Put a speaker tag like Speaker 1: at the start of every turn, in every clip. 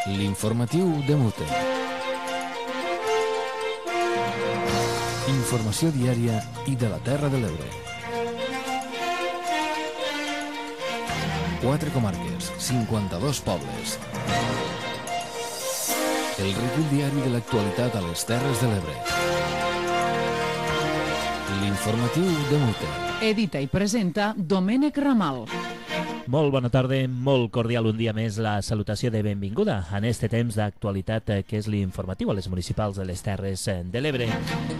Speaker 1: L'informatiu de Mute. Informació diària i de la Terra de l'Ebre. 4 comarques, 52 pobles. El recull diari de l'actualitat a les Terres de l'Ebre. L'informatiu de Mute.
Speaker 2: Edita i presenta Domènec Ramal.
Speaker 3: Molt bona tarda, molt cordial un dia més la salutació de benvinguda en este temps d'actualitat que és l'informatiu a les municipals de les Terres de l'Ebre.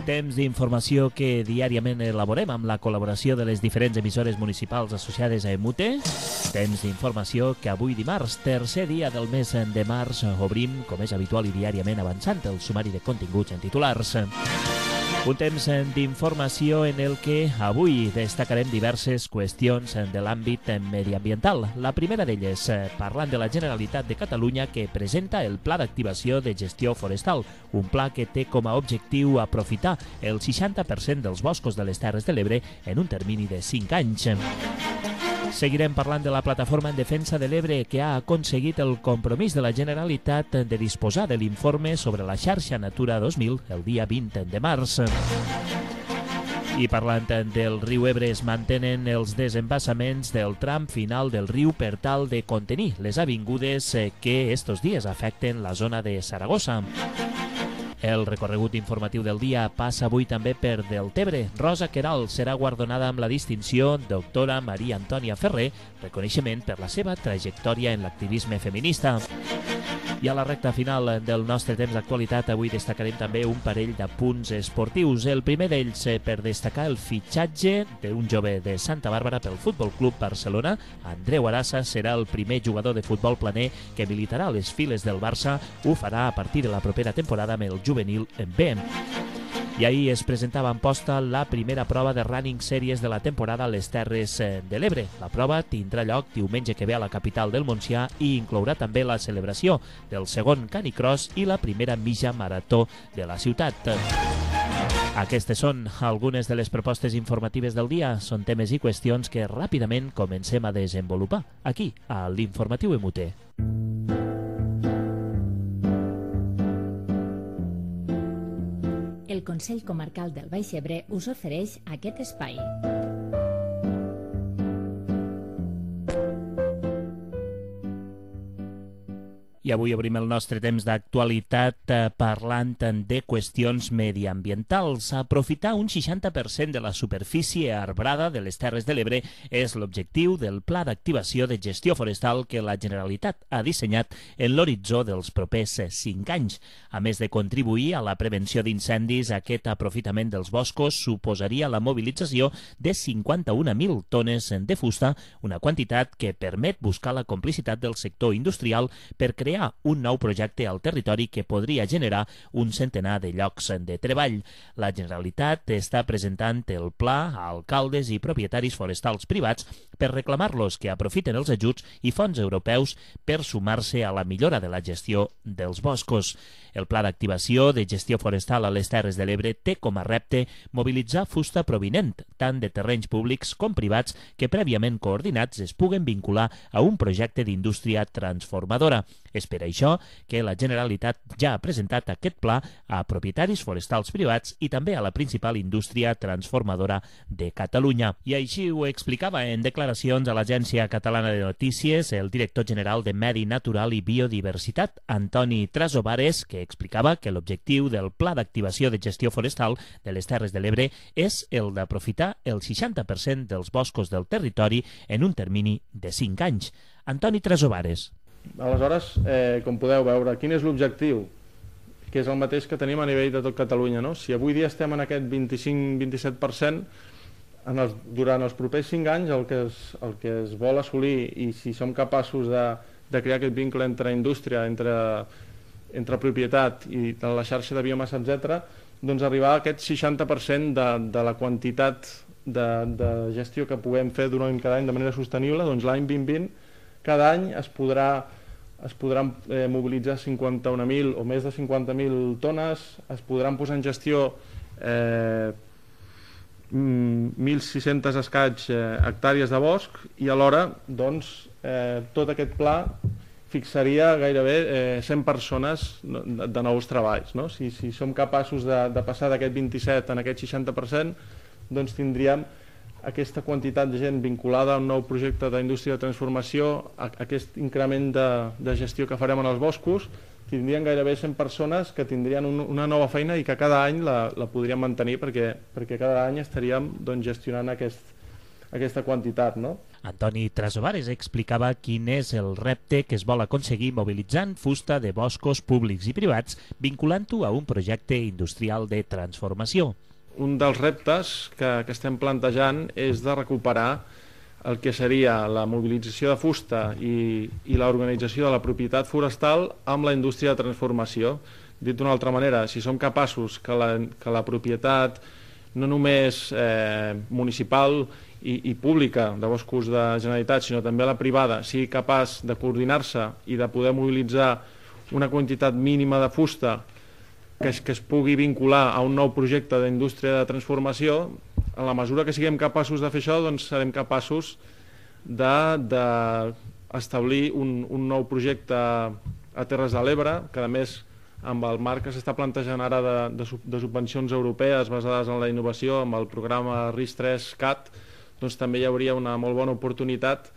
Speaker 3: Temps d'informació que diàriament elaborem amb la col·laboració de les diferents emissores municipals associades a Mute. Temps d'informació que avui dimarts, tercer dia del mes de març, obrim, com és habitual i diàriament avançant, el sumari de continguts en titulars. Un temps d'informació en el que avui destacarem diverses qüestions de l'àmbit mediambiental. La primera d'elles, parlant de la Generalitat de Catalunya que presenta el Pla d'Activació de Gestió Forestal, un pla que té com a objectiu aprofitar el 60% dels boscos de les Terres de l'Ebre en un termini de 5 anys. Seguirem parlant de la plataforma en defensa de l'Ebre que ha aconseguit el compromís de la Generalitat de disposar de l'informe sobre la xarxa Natura 2000 el dia 20 de març. I parlant del riu Ebre, es mantenen els desembassaments del tram final del riu per tal de contenir les avingudes que estos dies afecten la zona de Saragossa. El recorregut informatiu del dia passa avui també per Deltebre. Rosa Queralt serà guardonada amb la distinció Doctora Maria Antònia Ferrer, reconeixement per la seva trajectòria en l'activisme feminista. I a la recta final del nostre temps d'actualitat avui destacarem també un parell de punts esportius. El primer d'ells per destacar el fitxatge d'un jove de Santa Bàrbara pel Futbol Club Barcelona. Andreu Arassa serà el primer jugador de futbol planer que militarà a les files del Barça. Ho farà a partir de la propera temporada amb el juvenil B. I ahir es presentava en posta la primera prova de running series de la temporada a les Terres de l'Ebre. La prova tindrà lloc diumenge que ve a la capital del Montsià i inclourà també la celebració del segon canicross i la primera mitja marató de la ciutat. Aquestes són algunes de les propostes informatives del dia. Són temes i qüestions que ràpidament comencem a desenvolupar aquí, a l'Informatiu Mute.
Speaker 4: El Consell Comarcal del Baix Ebre us ofereix aquest espai.
Speaker 3: I avui obrim el nostre temps d'actualitat parlant de qüestions mediambientals. Aprofitar un 60% de la superfície arbrada de les Terres de l'Ebre és l'objectiu del Pla d'Activació de Gestió Forestal que la Generalitat ha dissenyat en l'horitzó dels propers 5 anys. A més de contribuir a la prevenció d'incendis, aquest aprofitament dels boscos suposaria la mobilització de 51.000 tones de fusta, una quantitat que permet buscar la complicitat del sector industrial per crear un nou projecte al territori que podria generar un centenar de llocs de treball. La Generalitat està presentant el pla a alcaldes i propietaris forestals privats per reclamar-los que aprofiten els ajuts i fons europeus per sumar-se a la millora de la gestió dels boscos. El Pla d'Activació de Gestió Forestal a les Terres de l'Ebre té com a repte mobilitzar fusta provinent tant de terrenys públics com privats que prèviament coordinats es puguen vincular a un projecte d'indústria transformadora. És per això que la Generalitat ja ha presentat aquest pla a propietaris forestals privats i també a la principal indústria transformadora de Catalunya. I així ho explicava en declaracions a l'Agència Catalana de Notícies el director general de Medi Natural i Biodiversitat, Antoni Trasobares, que explicava que l'objectiu del Pla d'Activació de Gestió Forestal de les Terres de l'Ebre és el d'aprofitar el 60% dels boscos del territori en un termini de 5 anys. Antoni Trasobares.
Speaker 5: Aleshores, com podeu veure, quin és l'objectiu? Que és el mateix que tenim a nivell de tot Catalunya, no? Si avui dia estem en aquest 25-27%, durant els propers 5 anys el que es vol assolir, i si som capaços de crear aquest vincle entre indústria, entre propietat i la xarxa de biomassa, etc., doncs arribar a aquest 60% de la quantitat de gestió que puguem fer durant cada any de manera sostenible. Doncs l'any 2020 cada any es podran mobilitzar 51.000 o més de 50.000 tones, es podran posar en gestió 1.600 escaig hectàrees de bosc i alhora doncs, tot aquest pla fixaria gairebé 100 persones de nous treballs. No? Si som capaços de passar d'aquest 27 en aquest 60%, doncs tindríem aquesta quantitat de gent vinculada a un nou projecte d'indústria de transformació, aquest increment de gestió que farem en els boscos, tindrien gairebé 100 persones que tindrien una nova feina i que cada any la podríem mantenir perquè cada any estaríem gestionant aquesta quantitat. No?
Speaker 3: Antoni Trasovares explicava quin és el repte que es vol aconseguir mobilitzant fusta de boscos públics i privats, vinculant-ho a un projecte industrial de transformació.
Speaker 5: Un dels reptes que estem plantejant és de recuperar el que seria la mobilització de fusta i l'organització de la propietat forestal amb la indústria de transformació. Dit d'una altra manera, si som capaços que la propietat no només municipal i pública de boscos de Generalitat, sinó també la privada, sigui capaç de coordinar-se i de poder mobilitzar una quantitat mínima de fusta que es pugui vincular a un nou projecte d'indústria de transformació, en la mesura que siguem capaços de fer això, doncs serem capaços d'establir un nou projecte a Terres de l'Ebre, que a més amb el marc que s'està plantejant ara de subvencions europees basades en la innovació, amb el programa RIS3-CAT, doncs també hi hauria una molt bona oportunitat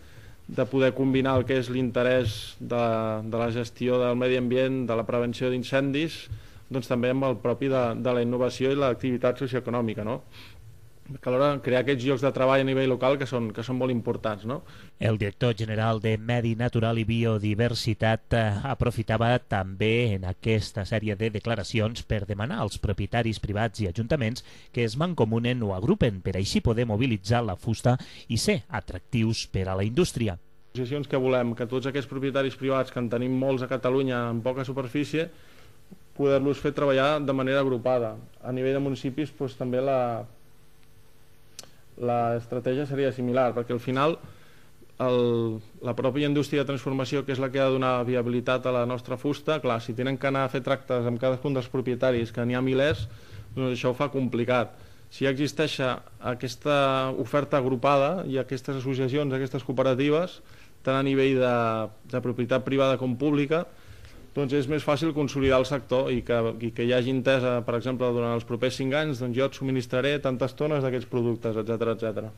Speaker 5: de poder combinar el que és l'interès de la gestió del medi ambient, de la prevenció d'incendis, doncs també amb el propi de la innovació i l'activitat socioeconòmica, no? Que alhora crear aquests llocs de treball a nivell local que són molt importants, no?
Speaker 3: El director general de Medi Natural i Biodiversitat aprofitava també en aquesta sèrie de declaracions per demanar als propietaris privats i ajuntaments que es mancomunen o agrupen per així poder mobilitzar la fusta i ser atractius per a la indústria.
Speaker 5: Associacions que volem que tots aquests propietaris privats, que en tenim molts a Catalunya en poca superfície, poder-los fer treballar de manera agrupada. A nivell de municipis doncs, també l'estratègia seria similar, perquè al final la pròpia indústria de transformació, que és la que ha de donar viabilitat a la nostra fusta, clar, si tenen que anar a fer tractes amb cadascun dels propietaris, que n'hi ha milers, doncs això ho fa complicat. Si ja existeix aquesta oferta agrupada i aquestes associacions, aquestes cooperatives, tant a nivell de propietat privada com pública, doncs és més fàcil consolidar el sector i que hi hagi entesa, per exemple, durant els propers 5 anys, doncs jo et subministraré tantes tones d'aquests productes, etc.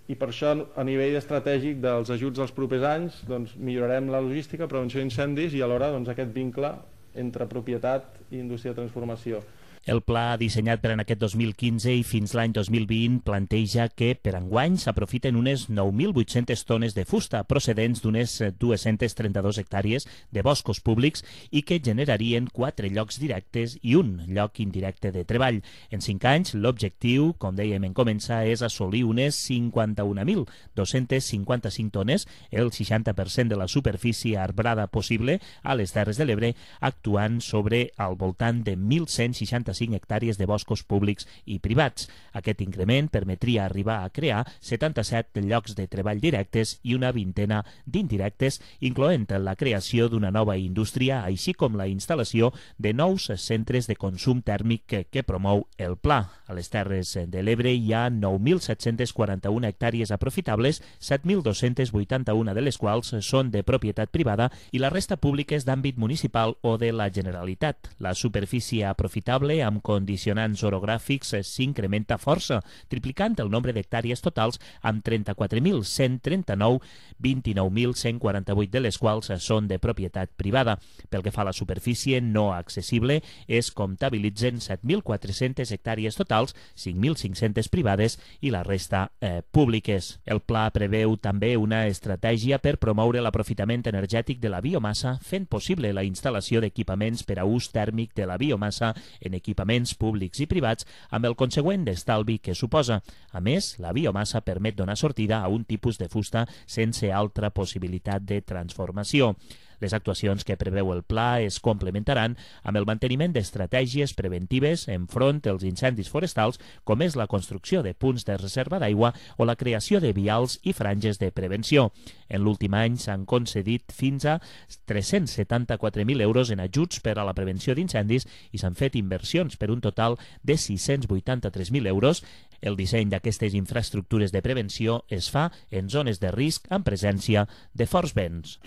Speaker 5: I per això, a nivell estratègic dels ajuts dels propers anys, doncs millorarem la logística, prevenció d'incendis i alhora aquest vincle entre propietat i indústria de transformació.
Speaker 3: El pla dissenyat per en aquest 2015 i fins l'any 2020 planteja que per enguany s'aprofiten unes 9.800 tones de fusta procedents d'unes 232 hectàrees de boscos públics i que generarien 4 llocs directes i un lloc indirecte de treball. En 5 anys, l'objectiu, com dèiem en començar, és assolir unes 51.255 tones, el 60% de la superfície arbrada possible a les Terres de l'Ebre, actuant sobre al voltant de 1.165 hectàrees de boscos públics i privats. Aquest increment permetria arribar a crear 77 llocs de treball directes i una vintena d'indirectes, incloent la creació d'una nova indústria, així com la instal·lació de nous centres de consum tèrmic que promou el pla. A les Terres de l'Ebre hi ha 9.741 hectàrees aprofitables, 7.281 de les quals són de propietat privada i la resta pública és d'àmbit municipal o de la Generalitat. La superfície aprofitable amb condicionants orogràfics s'incrementa força, triplicant el nombre d'hectàrees totals amb 34.139, 29.148 de les quals són de propietat privada. Pel que fa a la superfície no accessible, es comptabilitzen 7.400 hectàrees totals, 5.500 privades i la resta públiques. El pla preveu també una estratègia per promoure l'aprofitament energètic de la biomassa, fent possible la instal·lació d'equipaments per a ús tèrmic de la biomassa en equipaments públics i privats, amb el consegüent estalvi que suposa. A més, la biomassa permet donar sortida a un tipus de fusta sense altra possibilitat de transformació. Les actuacions que preveu el pla es complementaran amb el manteniment d'estratègies preventives enfront dels incendis forestals, com és la construcció de punts de reserva d'aigua o la creació de vials i franges de prevenció. En l'últim any s'han concedit fins a 374.000 euros en ajuts per a la prevenció d'incendis i s'han fet inversions per un total de 683.000 euros. El disseny d'aquestes infraestructures de prevenció es fa en zones de risc amb presència de forts vents.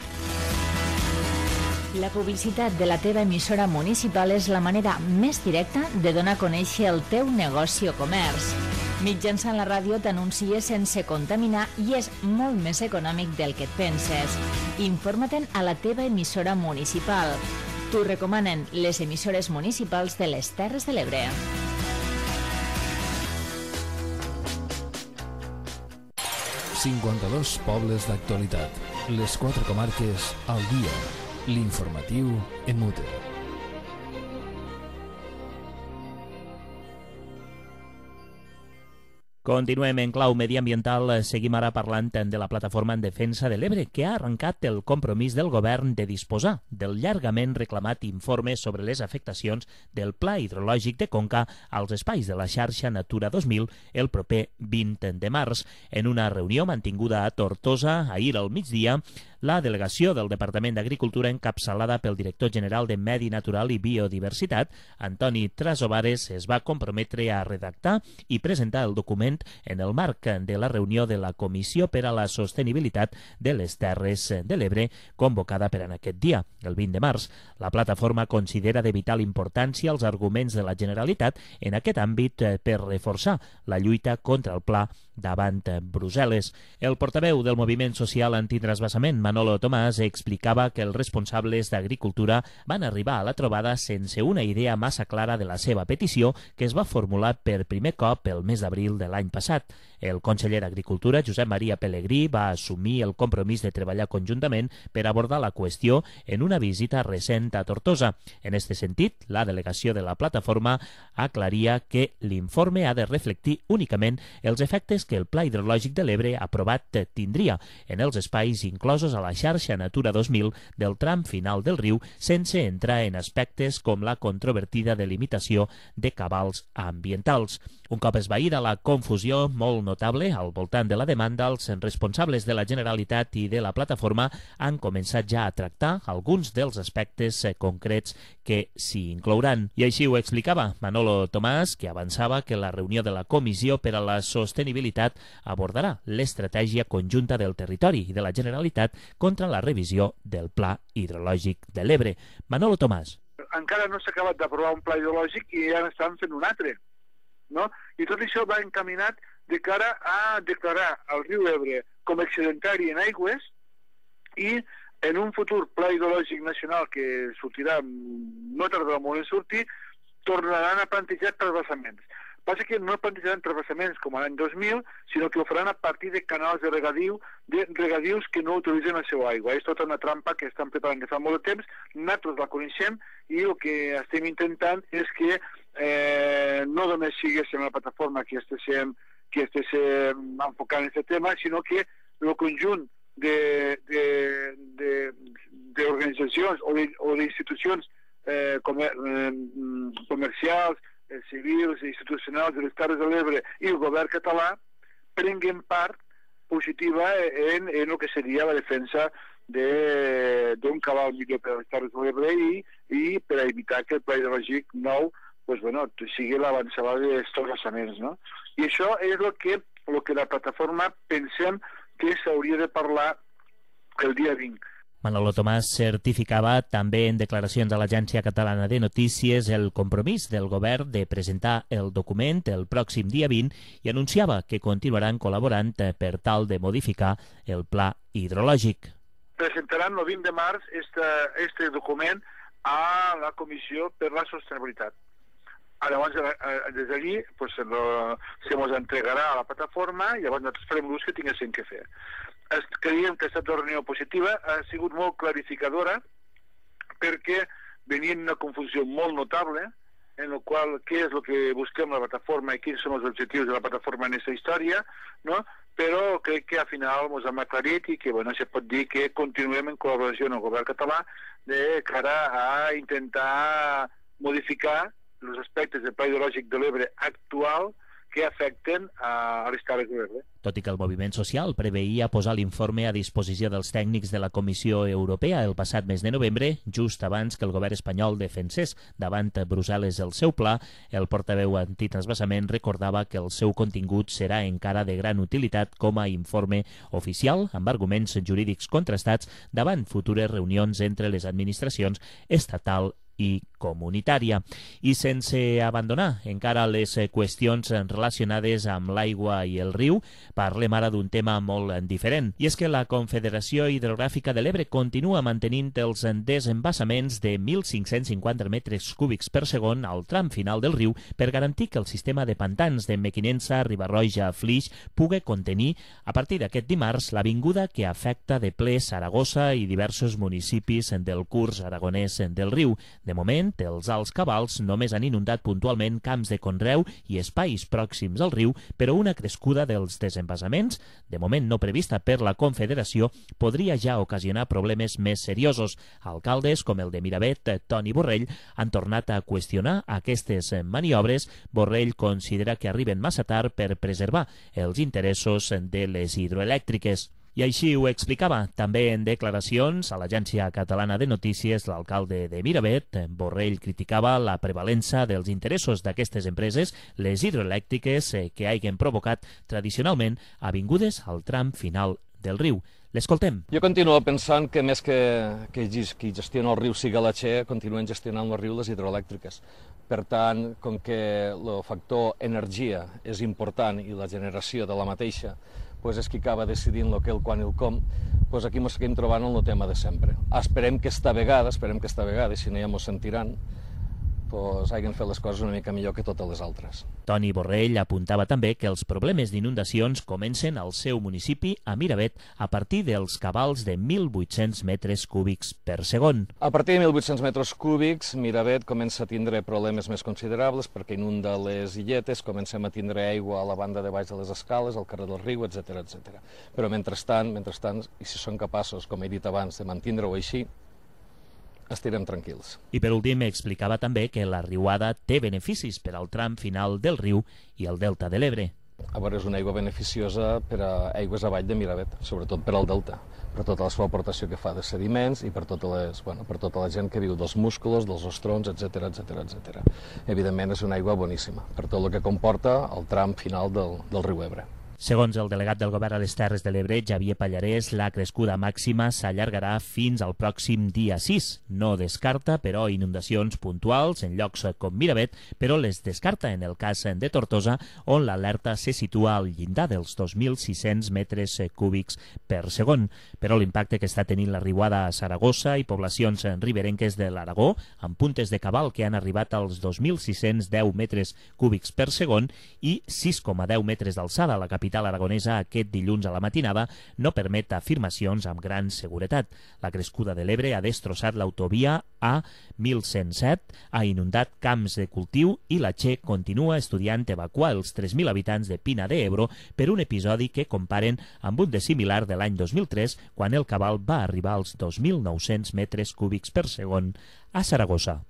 Speaker 4: La publicitat de la teva emissora municipal és la manera més directa de donar a conèixer el teu negoci o comerç. Mitjançant la ràdio t'anuncies sense contaminar i és molt més econòmic del que et penses. Informa-te'n a la teva emissora municipal. T'ho recomanen les emissores municipals de les Terres de l'Ebre.
Speaker 1: ...52 pobles d'actualitat. Les 4 comarques al dia. L'informatiu en mute.
Speaker 3: Continuem en clau mediambiental. Seguim ara parlant de la plataforma en defensa de l'Ebre, que ha arrencat el compromís del govern de disposar del llargament reclamat informe sobre les afectacions del Pla Hidrològic de Conca als espais de la xarxa Natura 2000 el proper 20 de març. En una reunió mantinguda a Tortosa ahir al migdia, la delegació del Departament d'Agricultura, encapçalada pel director general de Medi Natural i Biodiversitat, Antoni Trasobares, es va comprometre a redactar i presentar el document en el marc de la reunió de la Comissió per a la Sostenibilitat de les Terres de l'Ebre, convocada per en aquest dia, el 20 de març. La plataforma considera de vital importància els arguments de la Generalitat en aquest àmbit per reforçar la lluita contra el pla davant Brussel·les. El portaveu del moviment social antitransvasament, Manolo Tomàs, explicava que els responsables d'Agricultura van arribar a la trobada sense una idea massa clara de la seva petició, que es va formular per primer cop el mes d'abril de l'any passat. El conseller d'Agricultura, Josep Maria Pelegrí, va assumir el compromís de treballar conjuntament per abordar la qüestió en una visita recent a Tortosa. En aquest sentit, la delegació de la plataforma aclaria que l'informe ha de reflectir únicament els efectes que el Pla Hidrològic de l'Ebre aprovat tindria en els espais inclosos a la xarxa Natura 2000 del tram final del riu, sense entrar en aspectes com la controvertida delimitació de cabals ambientals. Un cop esvaïda la confusió molt notable al voltant de la demanda, els responsables de la Generalitat i de la plataforma han començat ja a tractar alguns dels aspectes concrets que s'hi inclouran. I així ho explicava Manolo Tomàs, que avançava que la reunió de la Comissió per a la Sostenibilitat abordarà l'estratègia conjunta del territori i de la Generalitat contra la revisió del Pla Hidrològic de l'Ebre. Manolo Tomàs.
Speaker 6: Encara no s'ha acabat d'aprovar un pla hidrològic i ja n'estan fent un altre, no? I tot això va encaminat de cara a declarar el riu Ebre com excedentari en aigües i en un futur pla hidrològic nacional que sortirà, no tardarà molt en sortir, tornaran a plantejar transvasaments. Passa que no plantejaran transvasaments com l'any 2000, sinó que ho faran a partir de canals de regadius que no utilitzen la seva aigua. És tota una trampa que estan preparant de fa molt de temps, nosaltres la coneixem i el que estem intentant és que no només siguéssim la plataforma que estiguéssim enfocant aquest tema, sinó que el conjunt d'organitzacions o d'institucions comercials, civils i institucionals de les Terres de l'Ebre i el govern català prenguin part positiva en el que seria la defensa d'un cabal millor per a les Terres de l'Ebre i per a evitar que el pla hidrològic nou sigui l'avançada dels transvasaments, no? I això és el que la plataforma pensem que s'hauria de parlar el dia 20.
Speaker 3: Manolo Tomàs certificava també en declaracions a l'Agència Catalana de Notícies el compromís del govern de presentar el document el pròxim dia 20 i anunciava que continuaran col·laborant per tal de modificar el pla hidrològic.
Speaker 6: Presentaran el 20 de març este document a la Comissió per la Sostenibilitat. Llavors, des d'allí se mos entregarà a la plataforma i llavors nosaltres farem l'ús que tinguéssim que fer. Creiem que ha estat una reunió positiva, ha sigut molt clarificadora perquè venia una confusió molt notable en la qual què és el que busquem la plataforma i quins són els objectius de la plataforma en aquesta història, no? Però crec que al final ens hem aclarit i que se pot dir que continuem en col·laboració amb el govern català de cara a intentar modificar els aspectes del Pla Hidrològic de l'Ebre actual que afecten a les Terres de l'Ebre.
Speaker 3: Tot i que el moviment social preveia posar l'informe a disposició dels tècnics de la Comissió Europea el passat mes de novembre, just abans que el govern espanyol defensés davant Brussel·les el seu pla, el portaveu antitransvasament recordava que el seu contingut serà encara de gran utilitat com a informe oficial amb arguments jurídics contrastats davant futures reunions entre les administracions estatal i comunitària. I sense abandonar encara les qüestions relacionades amb l'aigua i el riu, parlem ara d'un tema molt diferent. I és que la Confederació Hidrogràfica de l'Ebre continua mantenint els desembassaments de 1.550 metres cúbics per segon al tram final del riu per garantir que el sistema de pantans de Mequinensa, Riba-roja, Flix pugui contenir a partir d'aquest dimarts l'avinguda que afecta de ple Saragossa i diversos municipis del curs aragonès del riu. De moment, els alts cabals només han inundat puntualment camps de conreu i espais pròxims al riu, però una crescuda dels desembassaments, de moment no prevista per la Confederació, podria ja ocasionar problemes més seriosos. Alcaldes com el de Miravet, Toni Borrell, han tornat a qüestionar aquestes maniobres. Borrell considera que arriben massa tard per preservar els interessos de les hidroelèctriques. I així ho explicava també en declaracions a l'Agència Catalana de Notícies l'alcalde de Miravet. Borrell criticava la prevalença dels interessos d'aquestes empreses, les hidroelèctriques, que hagin provocat tradicionalment avingudes al tram final del riu. L'escoltem.
Speaker 7: Jo continuo pensant que més que qui gestiona el riu sigui la Che, continuen gestionant el riu les hidroelèctriques. Per tant, com que el factor energia és important i la generació de la mateixa és qui acaba decidint el que, el quan i el com, aquí ens seguim trobant en el tema de sempre. Esperem que esta vegada, i si no ja ens sentiran, hagin fet les coses una mica millor que totes les altres.
Speaker 3: Toni Borrell apuntava també que els problemes d'inundacions comencen al seu municipi, a Miravet, a partir dels cabals de 1.800 metres cúbics per segon.
Speaker 7: A partir de 1.800 metres cúbics, Miravet comença a tindre problemes més considerables perquè inunda les illetes, comencem a tindre aigua a la banda de baix de les escales, al carrer del riu, etc. Però mentrestant, i si són capaços, com he dit abans, de mantenir-ho així, estirem tranquils.
Speaker 3: I per últim explicava també que la riuada té beneficis per al tram final del riu i el delta de l'Ebre.
Speaker 7: A veure, és una aigua beneficiosa per a aigües avall de Miravet, sobretot per al delta, per tota la seva aportació que fa de sediments i per tota la gent que viu dels musclos, dels ostrons, etc. Evidentment és una aigua boníssima, per tot el que comporta el tram final del riu Ebre.
Speaker 3: Segons el delegat del govern a les Terres de l'Ebre, Xavier Pallarès, la crescuda màxima s'allargarà fins al pròxim dia 6. No descarta, però, inundacions puntuals en llocs com Miravet, però les descarta en el cas de Tortosa, on l'alerta se situa al llindar dels 2.600 metres cúbics per segon. Però l'impacte que està tenint la riuada a Saragossa i poblacions riberenques de l'Aragó, amb puntes de cabal que han arribat als 2.610 metres cúbics per segon i 6,10 metres d'alçada a la capital aragonesa aquest dilluns a la matinada, no permet afirmacions amb gran seguretat. La crescuda de l'Ebre ha destrossat l'autovia A1107, ha inundat camps de cultiu i la Che continua estudiant evacuar els 3.000 habitants de Pina de Ebro per un episodi que comparen amb un de similar de l'any 2003, quan el cabal va arribar als 2.900 metres cúbics per segon a Saragossa.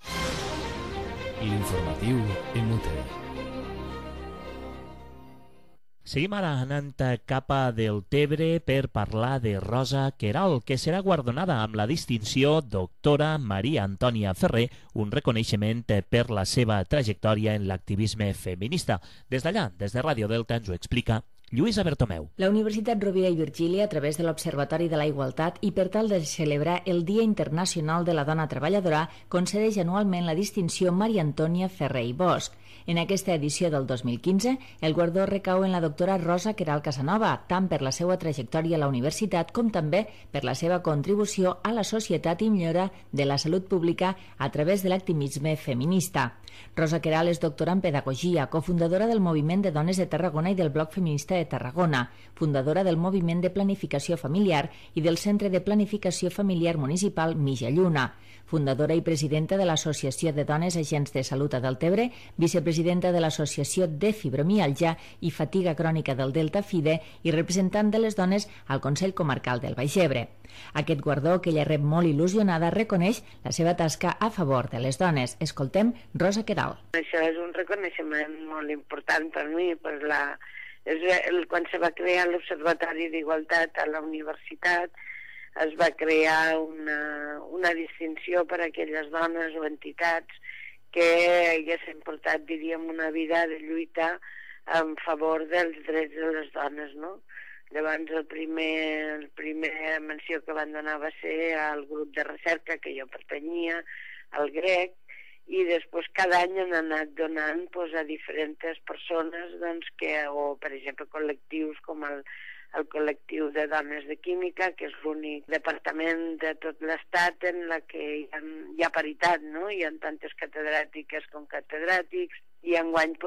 Speaker 1: L'informatiu MUTE.
Speaker 3: Seguim ara anant cap a Deltebre per parlar de Rosa Queralt, que serà guardonada amb la distinció Doctora Maria Antònia Ferrer, un reconeixement per la seva trajectòria en l'activisme feminista. Des d'allà, des de Ràdio Delta, ens ho explica Lluïsa Bertomeu.
Speaker 4: La Universitat Rovira i Virgília, a través de l'Observatori de la Igualtat i per tal de celebrar el Dia Internacional de la Dona Treballadora, concedeix anualment la distinció Maria Antònia Ferrer i Bosch. En aquesta edició del 2015, el guardó recau en la doctora Rosa Queralt Casanova, tant per la seva trajectòria a la universitat com també per la seva contribució a la societat i millora de la salut pública a través de l'activisme feminista. Rosa Queralt és doctora en Pedagogia, cofundadora del Moviment de Dones de Tarragona i del Bloc Feminista de Tarragona, fundadora del Moviment de Planificació Familiar i del Centre de Planificació Familiar Municipal Mitja Lluna, fundadora i presidenta de l'Associació de Dones Agents de Salut a Deltebre, vicepresidenta de l'Associació de Fibromialgia i Fatiga Crònica del Delta FIDE i representant de les dones al Consell Comarcal del Baix Ebre. Aquest guardó, que ella rep molt il·lusionada, reconeix la seva tasca a favor de les dones. Escoltem Rosa Queralt.
Speaker 8: Això és un reconeixement molt important per mi, per la Quan se va crear l'Observatori d'Igualtat a la universitat, es va crear una distinció per a aquelles dones o entitats que haguessin portat, diríem, una vida de lluita en favor dels drets de les dones, no? Llavors, el primer menció que van donar va ser al grup de recerca que jo pertanyia, al GREC, i després cada any han anat donant a diferents persones, o per exemple col·lectius com el col·lectiu de dones de química, que és l'únic departament de tot l'Estat en la que hi ha paritat, no? Hi ha tantes catedràtiques com catedràtics, i enguany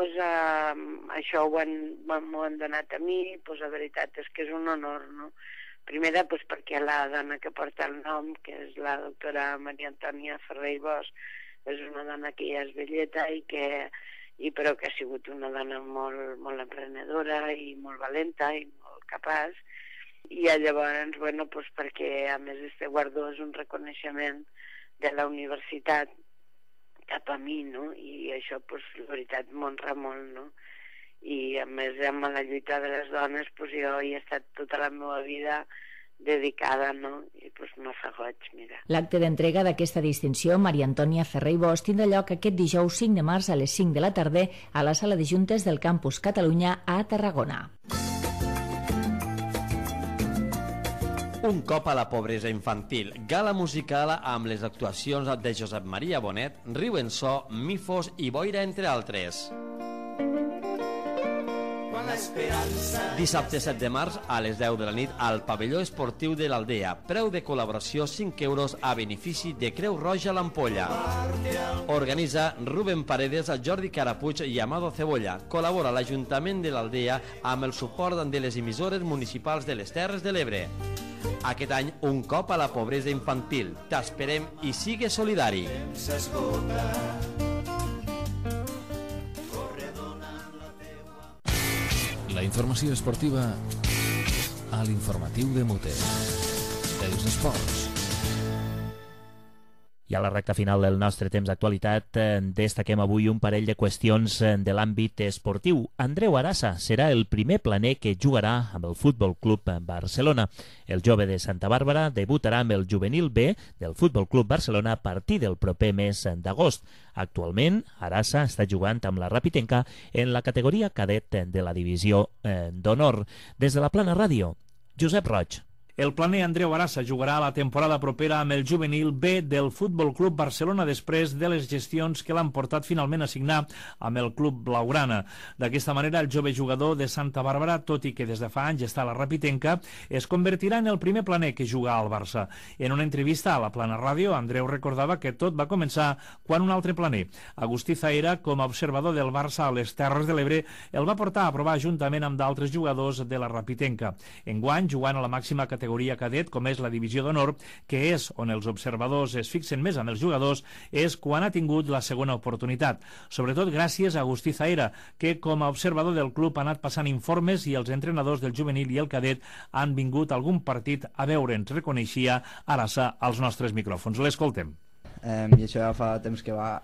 Speaker 8: això m'ho han donat a mi, la veritat és que és un honor, no? Primera, perquè la dona que porta el nom, que és la doctora Maria Antònia Ferrer i Bosch, és una dona que ja és velleta però que ha sigut una dona molt emprenedora i molt valenta i molt capaç. I llavors, perquè a més este guardó és un reconeixement de la universitat cap a mi, no? I això, la veritat, m'honra molt, no? I a més, amb la lluita de les dones, jo hi he estat tota la meva vida dedicada, no? I me fa goig, mira.
Speaker 4: L'acte d'entrega d'aquesta distinció, Maria Antònia Ferrer i Bosch, tindrà lloc aquest dijous 5 de març a les 5 de la tarda a la sala de juntes del Campus Catalunya a Tarragona.
Speaker 9: Un cop a la pobresa infantil, gala musical amb les actuacions de Josep Maria Bonet, Riu en So, Mifos i Boira, entre altres. Dissabte 7 de març a les 10 de la nit al pavelló esportiu de l'Aldea. Preu de col·laboració 5 euros a benefici de Creu Roja l'Ampolla. Organitza Rubén Paredes, Jordi Carapuig i Amado Cebolla. Col·labora l'Ajuntament de l'Aldea amb el suport de les emissores municipals de les Terres de l'Ebre. Aquest any, un cop a la pobresa infantil. T'esperem i sigue solidari.
Speaker 1: La informació esportiva a l'informatiu de Mote. Els esports.
Speaker 3: I a la recta final del nostre temps d'actualitat destaquem avui un parell de qüestions de l'àmbit esportiu. Andreu Arassa serà el primer planer que jugarà amb el Futbol Club Barcelona. El jove de Santa Bàrbara debutarà amb el juvenil B del Futbol Club Barcelona a partir del proper mes d'agost. Actualment, Arassa està jugant amb la Rapitenca en la categoria cadet de la divisió d'honor. Des de la Plana Ràdio, Josep Roig.
Speaker 10: El planer Andreu Arassa jugarà la temporada propera amb el juvenil B del Futbol Club Barcelona després de les gestions que l'han portat finalment a signar amb el club blaugrana. D'aquesta manera, el jove jugador de Santa Bàrbara, tot i que des de fa anys està a la Rapitenca, es convertirà en el primer planer que juga al Barça. En una entrevista a la Plana Ràdio, Andreu recordava que tot va començar quan un altre planer, Agustí Zaera, com a observador del Barça a les Terres de l'Ebre, el va portar a provar juntament amb d'altres jugadors de la Rapitenca. Enguany, jugant a la màxima categoria cadet, com és la divisió d'honor, que és on els observadors es fixen més amb els jugadors, és quan ha tingut la segona oportunitat. Sobretot gràcies a Agustí Zaera, que com a observador del club ha anat passant informes i els entrenadors del juvenil i el cadet han vingut a algun partit a veure'ns, reconeixia Arassa als nostres micròfons. L'escoltem.
Speaker 11: I això ja fa temps que va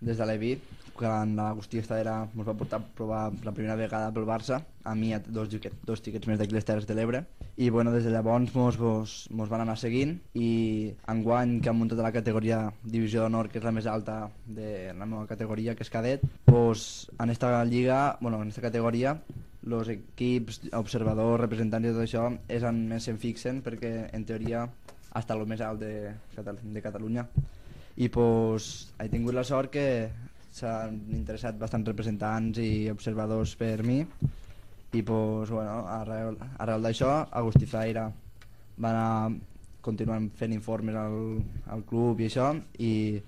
Speaker 11: des de l'Evi, quan l'Agustí Zaera ens va portar a provar la primera vegada pel Barça, a mi i a dos xiquets més d'aquí les Terres de l'Ebre, i des de llavors mos van anar seguint, i enguany que han muntat la categoria divisió d'honor, que és la més alta de la meva categoria, que és cadet, en esta lliga, en esta categoria, els equips, observadors, representants i tot això és on més se'n fixen, perquè en teoria està el més alt de Catalunya. I he tingut la sort que s'han interessat bastants representants i observadors per mi, i arrel d'això Agustí Zaera va anar continuant fent informes al club i això, i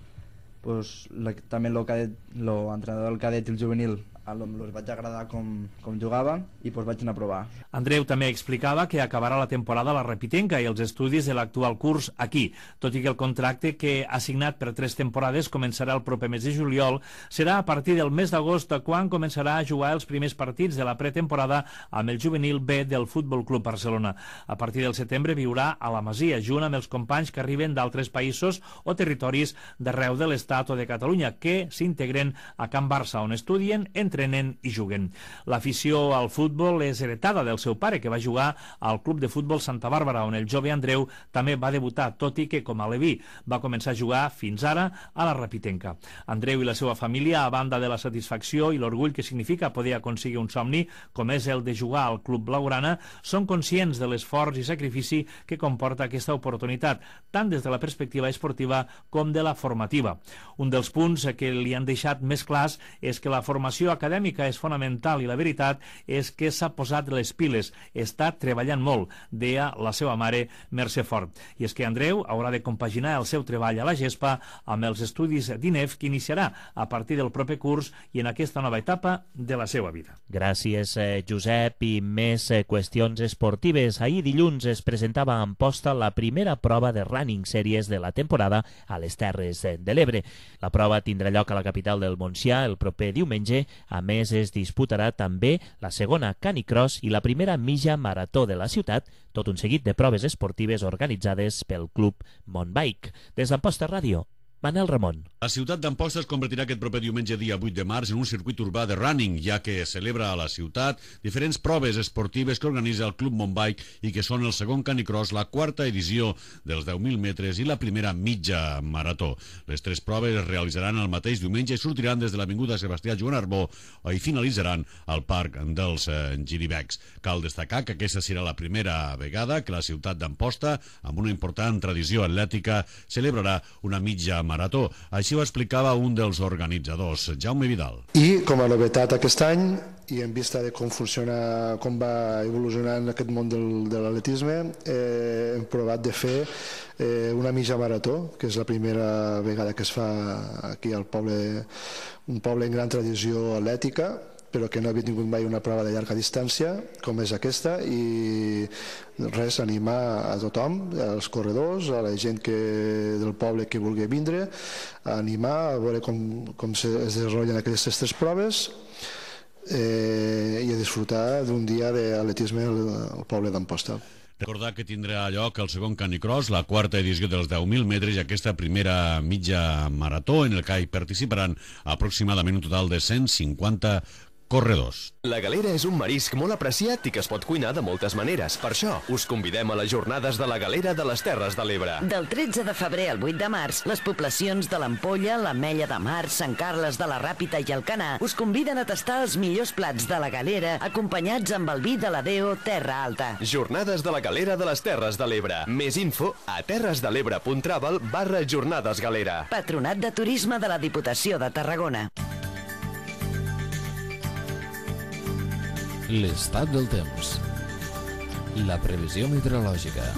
Speaker 11: també l'entrenador del cadet i el juvenil els vaig agradar com jugava i vaig anar a provar.
Speaker 10: Andreu també explicava que acabarà la temporada a la Rapitenca i els estudis de l'actual curs aquí, tot i que el contracte que ha signat per 3 temporades començarà el proper mes de juliol, serà a partir del mes d'agost quan començarà a jugar els primers partits de la pretemporada amb el juvenil B del Futbol Club Barcelona. A partir del setembre viurà a la Masia, junt amb els companys que arriben d'altres països o territoris d'arreu de l'Estat o de Catalunya, que s'integren a Can Barça, on estudien, entre entrenen i juguen. L'afició al futbol és heretada del seu pare, que va jugar al Club de Futbol Santa Bàrbara, on el jove Andreu també va debutar, tot i que, com a aleví, va començar a jugar fins ara a la Rapitenca. Andreu i la seva família, a banda de la satisfacció i l'orgull que significa poder aconseguir un somni, com és el de jugar al Club Blaugrana, són conscients de l'esforç i sacrifici que comporta aquesta oportunitat, tant des de la perspectiva esportiva com de la formativa. Un dels punts que li han deixat més clars és que la formació acadèmica és fonamental i la veritat és que s'ha posat les piles, està treballant molt, deia la seva mare Mercè Fort. I és que Andreu haurà de compaginar el seu treball a la gespa amb els estudis d'INEF que iniciarà a partir del proper curs i en aquesta nova etapa de la seva vida.
Speaker 3: Gràcies, Josep. I més qüestions esportives. Ahir dilluns es presentava a Amposta la primera prova de running series de la temporada a les Terres de l'Ebre. La prova tindrà lloc a la capital del Montsià el proper diumenge. A més, es disputarà també la segona canicross i la primera mitja marató de la ciutat, tot un seguit de proves esportives organitzades pel Club Montbike. Des d'Amposta Ràdio, Manel Ramon.
Speaker 12: La ciutat d'Amposta es convertirà aquest proper diumenge dia 8 de març en un circuit urbà de running, ja que celebra a la ciutat diferents proves esportives que organitza el Club Montbike i que són el segon canicross, la quarta edició dels 10.000 metres i la primera mitja marató. Les tres proves es realitzaran el mateix diumenge i sortiran des de l'avinguda Sebastià Joan Arbó i finalitzaran al Parc dels Giribecs. Cal destacar que aquesta serà la primera vegada que la ciutat d'Amposta, amb una important tradició atlètica, celebrarà una mitja marató. Així ho explicava un dels organitzadors, Jaume Vidal.
Speaker 13: I com a novetat aquest any, i en vista de com funciona, com va evolucionant aquest món de l'atletisme, hem provat de fer una mitja marató, que és la primera vegada que es fa aquí al poble, un poble en gran tradició atlètica, però que no havia tingut mai una prova de llarga distància com és aquesta, i res, animar a tothom, als corredors, a la gent del poble que vulgui vindre, a animar a veure com es desenvolupen aquestes tres proves i a disfrutar d'un dia d'atletisme al poble d'Amposta.
Speaker 12: Recordar que tindrà lloc el segon canicross, la quarta edició dels 10.000 metres i aquesta primera mitja marató en el que hi participaran aproximadament un total de 150 corredors.
Speaker 14: La galera és un marisc molt apreciat i que es pot cuinar de moltes maneres. Per això, us convidem a les jornades de la galera de les Terres de l'Ebre.
Speaker 15: Del 13 de febrer al 8 de març, les poblacions de l'Ampolla, l'Ametlla de Mar, Sant Carles de la Ràpita i Alcanar us conviden a tastar els millors plats de la galera acompanyats amb el vi de la Deo Terra Alta.
Speaker 14: Jornades de la galera de les Terres de l'Ebre. Més info a terresdelebre.travel/jornadesgalera.
Speaker 15: Patronat de Turisme de la Diputació de Tarragona.
Speaker 1: L'estat del temps. La previsió meteorològica.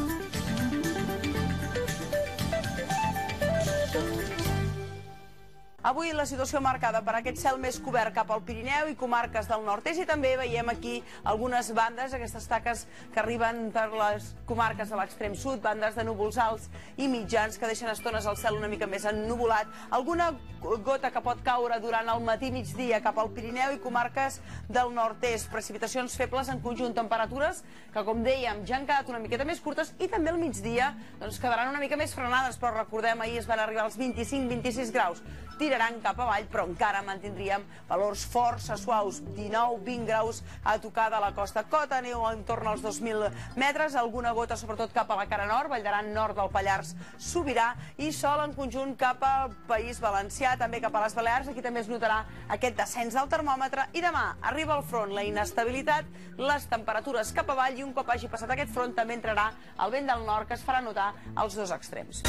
Speaker 16: Avui la situació marcada per aquest cel més cobert cap al Pirineu i comarques del nord-est, i també veiem aquí algunes bandes, aquestes taques que arriben per les comarques de l'extrem sud, bandes de núvols alts i mitjans que deixen estones el cel una mica més ennuvolat, alguna gota que pot caure durant el matí-migdia cap al Pirineu i comarques del nord-est, precipitacions febles en conjunt, temperatures que, com dèiem, ja han quedat una miqueta més curtes i també al migdia quedaran una mica més frenades, però recordem, ahir es van arribar als 25-26 graus. Tiraran cap avall, però encara mantindríem valors força suaus, 19-20 graus a tocar de la costa. Cota neu entorn als 2.000 metres, alguna gota sobretot cap a la cara nord, Vall d'Aran nord del Pallars Sobirà, i sol en conjunt cap al País Valencià, també cap a les Balears. Aquí també es notarà aquest descens del termòmetre, i demà arriba el front, la inestabilitat, les temperatures cap avall, i un cop hagi passat aquest front també entrarà el vent del nord, que es farà notar als dos extrems.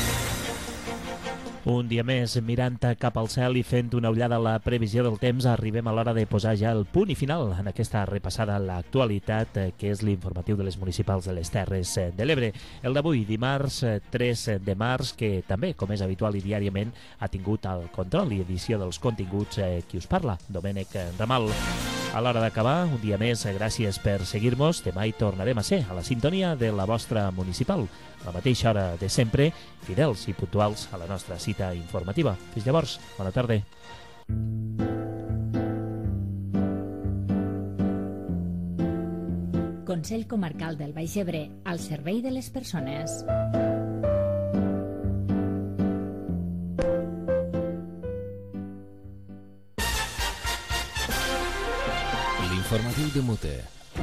Speaker 3: Un dia més mirant cap al cel i fent una ullada a la previsió del temps, arribem a l'hora de posar ja el punt i final en aquesta repassada a l'actualitat, que és l'informatiu de les municipals de les Terres de l'Ebre. El d'avui, dimarts 3 de març, que també, com és habitual i diàriament, ha tingut el control i edició dels continguts qui us parla, Domènec Ramal. A l'hora d'acabar, un dia més, gràcies per seguir-nos. Demà hi tornarem a ser a la sintonia de la vostra municipal, a la mateixa hora de sempre, fidels i puntuals a la nostra cita informativa. Fins llavors, bona tarda.
Speaker 4: Consell Comarcal del Baix Ebre, al servei de les persones.
Speaker 1: L'informatiu de Mute,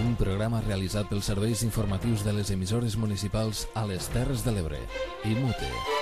Speaker 1: un programa realitzat pels serveis informatius de les emissores municipals a les Terres de l'Ebre i Mute.